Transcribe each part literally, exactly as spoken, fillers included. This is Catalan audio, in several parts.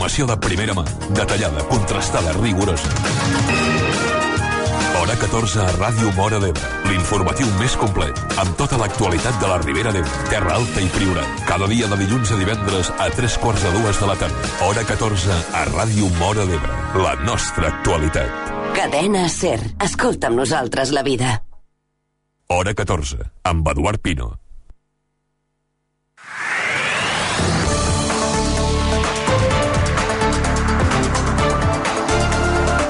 Informació de primera mà, detallada, contrastada, rigorosa. Hora catorze a Ràdio Móra d'Ebre. L'informatiu més complet, amb tota l'actualitat de la Ribera d'Ebre, Terra Alta i Priorat. Cada dia de dilluns a divendres a tres quarts de dues de la tarda. Hora catorze a Ràdio Móra d'Ebre. La nostra actualitat. Cadena SER. Escolta amb nosaltres la vida. Hora catorze, amb Eduard Pino.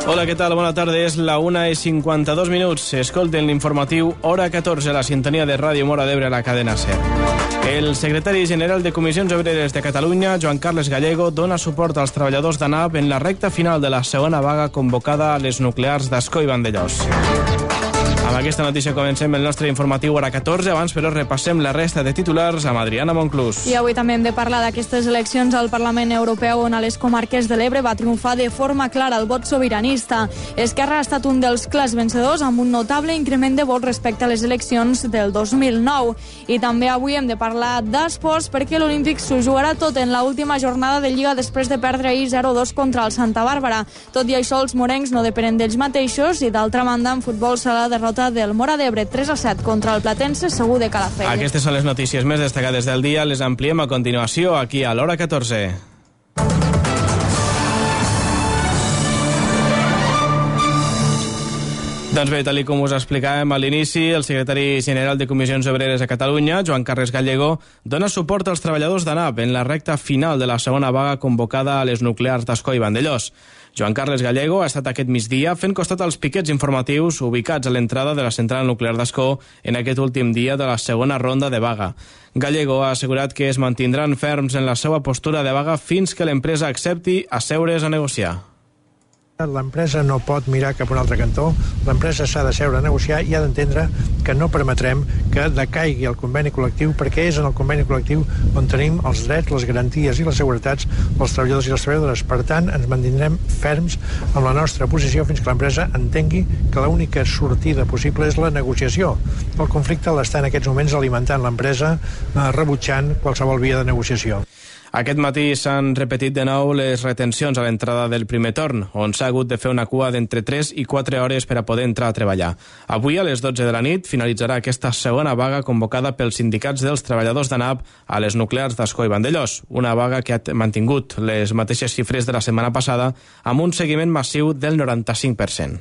Hola, què tal? Bona tarda. És la una i cinquanta-dos minuts. Escolten l'informatiu Hora catorze, la sintonia de Ràdio Móra d'Ebre a la cadena SER. El secretari general de Comissions Obreres de Catalunya, Joan Carles Gallego, dona suport als treballadors d'ANAP en la recta final de la segona vaga convocada a les nuclears d'Ascó i Vandellòs. Amb aquesta notícia comencem el nostre informatiu Hora catorze. Abans, però, repassem la resta de titulars amb Adriana Monclús. I avui també hem de parlar d'aquestes eleccions al Parlament Europeu, on a les comarques de l'Ebre va triomfar de forma clara el vot sobiranista. Esquerra ha estat un dels clars vencedors, amb un notable increment de vots respecte a les eleccions del dos mil nou. I també avui hem de parlar d'esports, perquè l'Olímpic s'ho jugarà tot en l'última jornada de Lliga després de perdre ahir zero dos contra el Santa Bàrbara. Tot i això, els morencs no depenen d'ells mateixos i, d'altra banda, en futbol serà la derrota del Móra d'Ebre tres a set contra el Platense Segur de Calafell. Aquestes són les notícies més destacades del dia. Les ampliem a continuació aquí a l'Hora catorze. Doncs bé, tal com us explicàvem a l'inici, el secretari general de Comissions Obreres de Catalunya, Joan Carles Gallego, dona suport als treballadors d'ANAP en la recta final de la segona vaga convocada a les nuclears d'Ascó i Vandellòs. Joan Carles Gallego ha estat aquest migdia fent costat als piquets informatius ubicats a l'entrada de la central nuclear d'Ascó en aquest últim dia de la segona ronda de vaga. Gallego ha assegurat que es mantindran ferms en la seva postura de vaga fins que l'empresa accepti asseure's a negociar. L'empresa no pot mirar cap a un altre cantó, l'empresa s'ha de seure a negociar i ha d'entendre que no permetrem que decaigui el conveni col·lectiu, perquè és en el conveni col·lectiu on tenim els drets, les garanties i les seguretats dels treballadors i les treballadores. Per tant, ens mantindrem ferms amb la nostra posició fins que l'empresa entengui que l'única sortida possible és la negociació. El conflicte l'està en aquests moments alimentant l'empresa, eh, rebutjant qualsevol via de negociació. Aquest matí s'han repetit de nou les retencions a l'entrada del primer torn, on s'ha hagut de fer una cua d'entre tres i quatre hores per a poder entrar a treballar. Avui, a les dotze de la nit, finalitzarà aquesta segona vaga convocada pels sindicats dels treballadors d'ANAP a les nuclears d'Ascó i Vandellòs, una vaga que ha mantingut les mateixes xifres de la setmana passada amb un seguiment massiu del noranta-cinc per cent.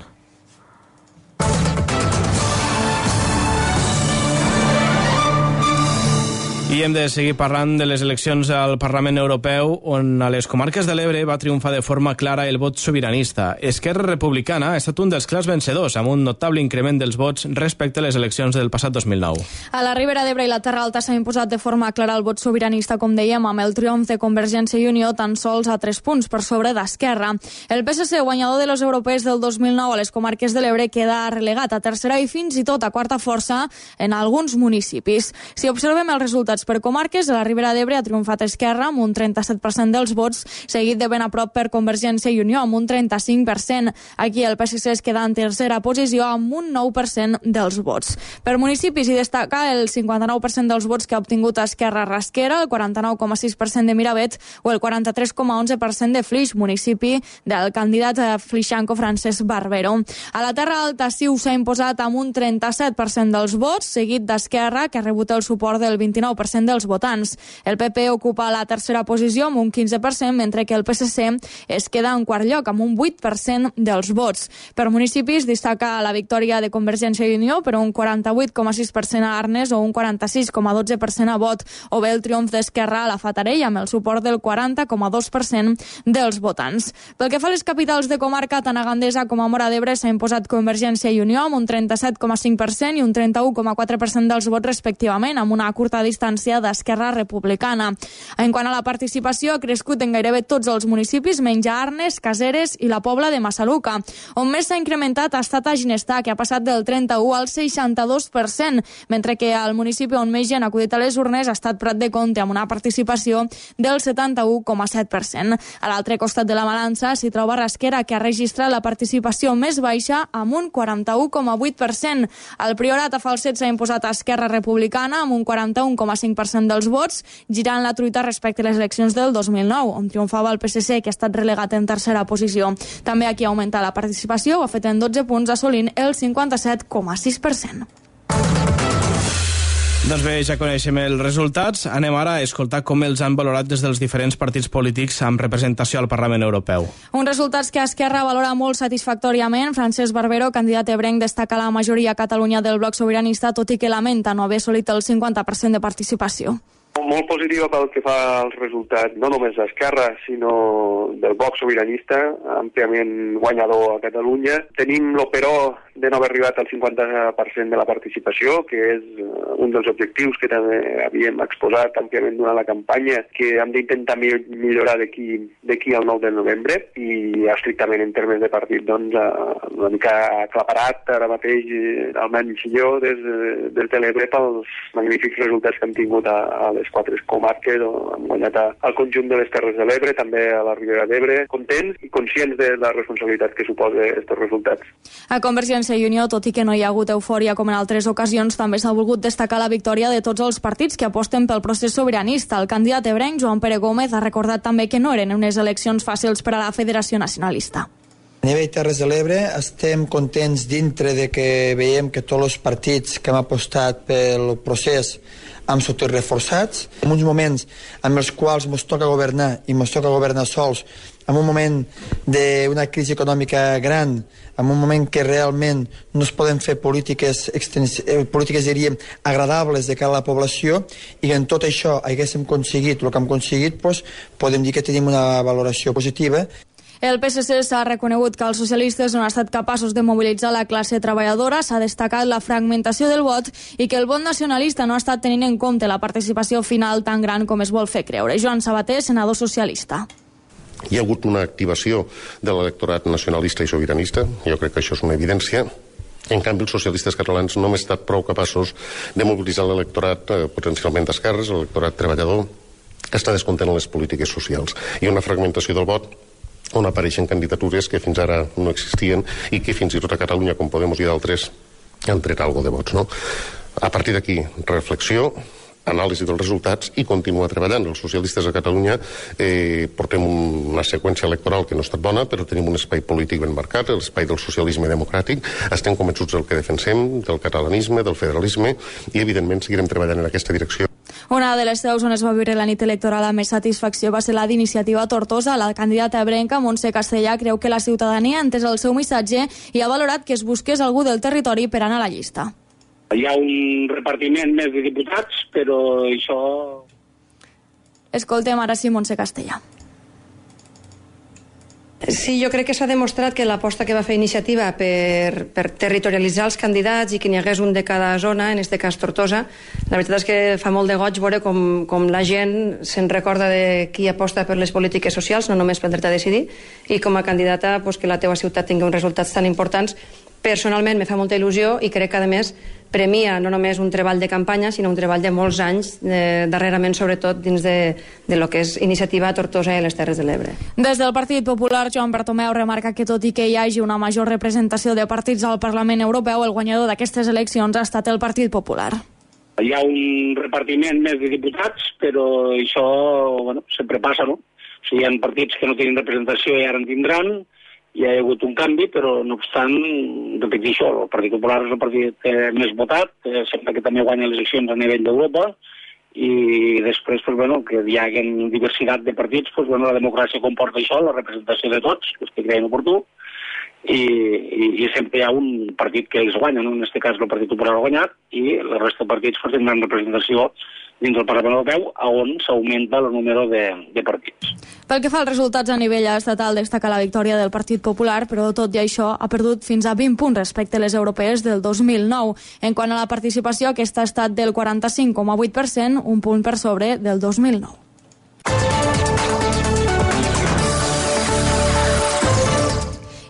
I hem de seguir parlant de les eleccions al Parlament Europeu, on a les comarques de l'Ebre va triomfar de forma clara el vot sobiranista. Esquerra Republicana ha estat un dels clars vencedors, amb un notable increment dels vots respecte a les eleccions del passat dos mil nou. A la Ribera d'Ebre i la Terra Alta s'ha imposat de forma clara el vot sobiranista, com dèiem, amb el triomf de Convergència i Unió tan sols a tres punts per sobre d'Esquerra. El P S C, guanyador de les europees del dos mil nou a les comarques de l'Ebre, queda relegat a tercera i fins i tot a quarta força en alguns municipis. Si observem els resultats per comarques, a la Ribera d'Ebre ha triomfat Esquerra amb un trenta-set per cent dels vots, seguit de ben a prop per Convergència i Unió amb un trenta-cinc per cent. Aquí el P S C es queda en tercera posició amb un nou per cent dels vots. Per municipis hi destaca el cinquanta-nou per cent dels vots que ha obtingut Esquerra Rasquera, el quaranta-nou coma sis per cent de Miravet o el quaranta-tres coma onze per cent de Flix, municipi del candidat flixanco Francesc Barbero. A la Terra Alta Siu s'ha imposat amb un trenta-set per cent dels vots, seguit d'Esquerra, que ha rebut el suport del vint-i-nou per cent dels votants. El P P ocupa la tercera posició amb un quinze per cent, mentre que el P S C es queda en quart lloc amb un vuit per cent dels vots. Per municipis destaca la victòria de Convergència i Unió per un quaranta-vuit coma sis per cent a Arnes o un quaranta-sis coma dotze per cent a Bot, o bé el triomf d'Esquerra a la Fatarella amb el suport del quaranta coma dos per cent dels votants. Pel que fa a les capitals de comarca, tant a Gandesa com a Móra d'Ebre s'ha imposat Convergència i Unió amb un trenta-set coma cinc per cent i un trenta-u coma quatre per cent dels vots respectivament, amb una curta distància d'Esquerra Republicana. En quant a la participació, ha crescut en gairebé tots els municipis, menys a Arnes, Caseres i la Pobla de Massaluca. On més s'ha incrementat ha estat a Ginestar, que ha passat del trenta-u al seixanta-dos per cent, mentre que al municipi on més gent ha acudit a les urnes ha estat Prat de Comte, amb una participació del setanta-u coma set per cent. A l'altre costat de la balança s'hi troba Rasquera, que ha registrat la participació més baixa amb un quaranta-u coma vuit per cent. El Priorat a Falset s'ha imposat a Esquerra Republicana amb un quaranta-un coma set cinc per cent dels vots, girant la truita respecte a les eleccions del dos mil nou, on triomfava el P S C, que ha estat relegat en tercera posició. També aquí ha augmentat la participació, ho ha fet en dotze punts, assolint el cinquanta-set coma sis per cent. Doncs bé, ja coneixem els resultats. Anem ara a escoltar com els han valorat des dels diferents partits polítics amb representació al Parlament Europeu. Uns resultats que Esquerra valora molt satisfactòriament. Francesc Barbero, candidat ebrenc, destaca la majoria a Catalunya del bloc sobiranista, tot i que lamenta no haver assolit el cinquanta per cent de participació. Molt positiva pel que fa als resultats, no només d'Esquerra, sinó del bloc sobiranista, àmpliament guanyador a Catalunya. Tenim l'operó de no haver arribat al cinquanta per cent de la participació, que és un dels objectius que també havíem exposat àmpliament durant la campanya, que hem d'intentar millorar d'aquí al nou de novembre, i estrictament en termes de partit, doncs, una mica aclaparat ara mateix, almenys jo, des, des de l'Ebre, pels magnífics resultats que hem tingut a, a les quatre comarques, on hem guanyat al conjunt de les Terres de l'Ebre, també a la Ribera d'Ebre, contents i conscients de la responsabilitat que suposa aquests resultats. A Convergència i Unió, tot i que no hi ha hagut eufòria com en altres ocasions, també s'ha volgut destacar la victòria de tots els partits que aposten pel procés sobiranista. El candidat ebrenc, Joan Pere Gómez, ha recordat també que no eren unes eleccions fàcils per a la Federació Nacionalista. A nivell Terres de l'Ebre estem contents dintre de que veiem que tots els partits que hem apostat pel procés han sortit reforçats. En uns moments en els quals ens toca governar i ens toca governar sols, en un moment d'una crisi econòmica gran, en un moment que realment no es poden fer polítiques, polítiques diríem, agradables de cara a la població, i que en tot això haguéssim aconseguit el que hem aconseguit, doncs, podem dir que tenim una valoració positiva. El P S C s'ha reconegut que els socialistes no han estat capaços de mobilitzar la classe treballadora, s'ha destacat la fragmentació del vot i que el vot nacionalista no ha estat tenint en compte la participació final tan gran com es vol fer creure. Joan Sabater, senador socialista. Hi ha hagut una activació de l'electorat nacionalista i sobiranista, jo crec que això és una evidència. En canvi, els socialistes catalans no hem estat prou capaços de mobilitzar l'electorat eh, potencialment d'esquerres, l'electorat treballador, que està descontent en les polítiques socials. Hi ha una fragmentació del vot on apareixen candidatures que fins ara no existien i que fins i tot a Catalunya, com Podemos i d'altres, han tret alguna de vots, no? A partir d'aquí, reflexió, anàlisi dels resultats i continuar treballant. Els socialistes a Catalunya eh, portem una seqüència electoral que no ha estat bona, però tenim un espai polític ben marcat, l'espai del socialisme democràtic. Estem convençuts del que defensem, del catalanisme, del federalisme, i evidentment seguirem treballant en aquesta direcció. Una de les seus on es va viure la nit electoral amb més satisfacció va ser la d'Iniciativa Tortosa. La candidata ebrenca, Montse Castellà, creu que la ciutadania ha entès el seu missatge i ha valorat que es busqués algú del territori per anar a la llista. Hi ha un repartiment més de diputats, però això... Escoltem ara sí Montse Castellà. Sí, jo crec que s'ha demostrat que l'aposta que va fer Iniciativa per, per territorialitzar els candidats i que n'hi hagués un de cada zona, en aquest cas Tortosa, la veritat és que fa molt de goig veure com, com la gent se'n recorda de qui aposta per les polítiques socials, no només pel dret a decidir, i com a candidata pues, que la teva ciutat tingui uns resultats tan importants. Personalment me fa molta il·lusió i crec que a més premia no només un treball de campanya, sinó un treball de molts anys, eh, darrerament sobretot dins de, de lo que és Iniciativa Tortosa i les Terres de l'Ebre. Des del Partit Popular, Joan Bartomeu remarca que tot i que hi hagi una major representació de partits al Parlament Europeu, el guanyador d'aquestes eleccions ha estat el Partit Popular. Hi ha un repartiment més de diputats, però això bueno, sempre passa, no? O sigui, hi ha partits que no tenen representació i ara en tindran. Hi ha hagut un canvi, però no obstant, repetir això, el Partit Popular és el partit més votat, eh, sempre que també guanya les eleccions a nivell d'Europa, i després, pues, bueno, que hi hagi diversitat de partits, pues, bueno, la democràcia comporta això, la representació de tots, els que creien oportú, i, i, i sempre hi ha un partit que ells guanyen, no? En aquest cas el Partit Popular ha guanyat, i la resta de partits pues, tindran representació dins del Parlament Europeu, on s'augmenta el número de, de partits. Pel que fa als resultats a nivell estatal, destaca la victòria del Partit Popular, però tot i això ha perdut fins a vint punts respecte a les europees del dos mil nou. En quant a la participació, aquesta ha estat del quaranta-cinc coma vuit per cent, un punt per sobre del dos mil nou.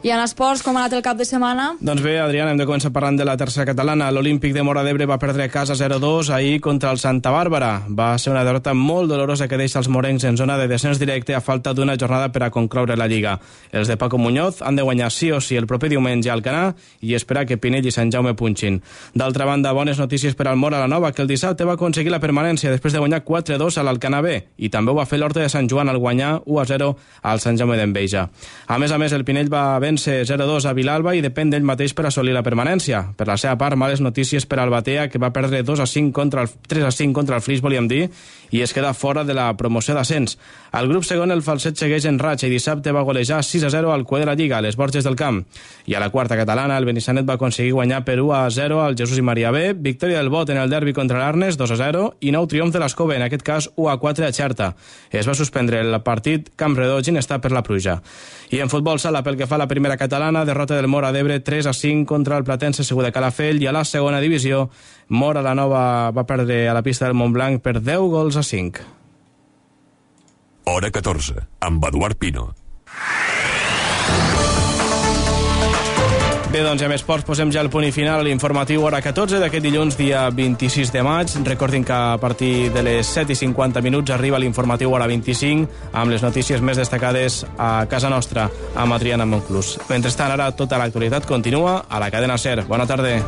I en esports, com ha anat el cap de setmana? Doncs bé, Adriana, hem de començar parlant de la tercera catalana. L'Olímpic de Móra d'Ebre va perdre a casa zero dos ahir contra el Santa Bàrbara. Va ser una derrota molt dolorosa que deixa els morencs en zona de descens directe a falta d'una jornada per a concloure la Lliga. Els de Paco Muñoz han de guanyar sí o sí el proper diumenge al Canà i esperar que Pinell i Sant Jaume punxin. D'altra banda, bones notícies per al Móra la Nova, que el dissabte va aconseguir la permanència després de guanyar quatre dos a l'Alcanar B, i també ho va fer l'Horta de Sant Joan al guanyar u a zero al Sant Jaume d'Enveja. A més a més, el Pinell va vèncer zero dos a Vilalba i depèn d'ell mateix per assolir la permanència. Per la seva part, males notícies per al Batea, que va perdre dos a cinc contra el, tres a cinc contra el Flix, volíem dir, i es queda fora de la promoció d'ascens. Al grup segon, el Falset segueix en ratxa i dissabte va golejar sis a zero al cué de la Lliga, a les Borges del Camp. I a la quarta catalana, el Benissanet va aconseguir guanyar per u a zero al Jesús i Maria B, victòria del Bot en el derbi contra l'Arnes, dos a zero, i nou triomf de l'Escova, en aquest cas u a quatre a Xerta. Es va suspendre el partit Campredó Ginestar per la pluja. I en futbol sala, pel que fa a la primera catalana, derrota del Móra d'Ebre tres a cinc contra el Platense Segur de Calafell, i a la segona divisió, Móra la Nova va perdre a la pista del Montblanc per deu gols a cinc. Hora catorze, amb Eduard Pino. Bé, doncs, amb esports posem ja el punt i final a l'informatiu hora catorze d'aquest dilluns, dia vint-i-sis de maig. Recordin que a partir de les set i cinquanta minuts arriba l'informatiu hora vint-i-cinc amb les notícies més destacades a casa nostra, amb Adriana Monclús. Mentrestant, ara tota l'actualitat continua a la cadena SER. Bona tarda.